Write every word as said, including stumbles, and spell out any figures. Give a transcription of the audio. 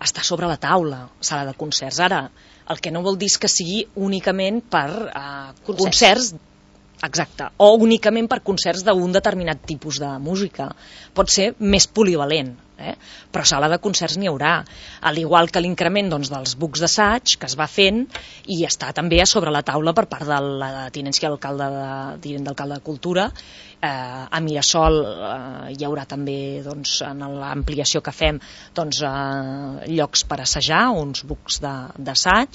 està sobre la taula, sala de concerts. Ara, el que no vol dir és que sigui únicament per eh, concerts. concerts Exacte, o únicament per concerts d'un determinat tipus de música. Pot ser més polivalent, eh? Però sala de concerts n'hi haurà, al igual que l'increment doncs, dels bucs d'assaig que es va fent i està també a sobre la taula per part de la tinència d'alcalde de, tinent d'alcalde de Cultura. Eh, a Mirasol eh, hi haurà també, doncs, en l'ampliació que fem, doncs, eh, llocs per assajar, uns bucs d'assaig.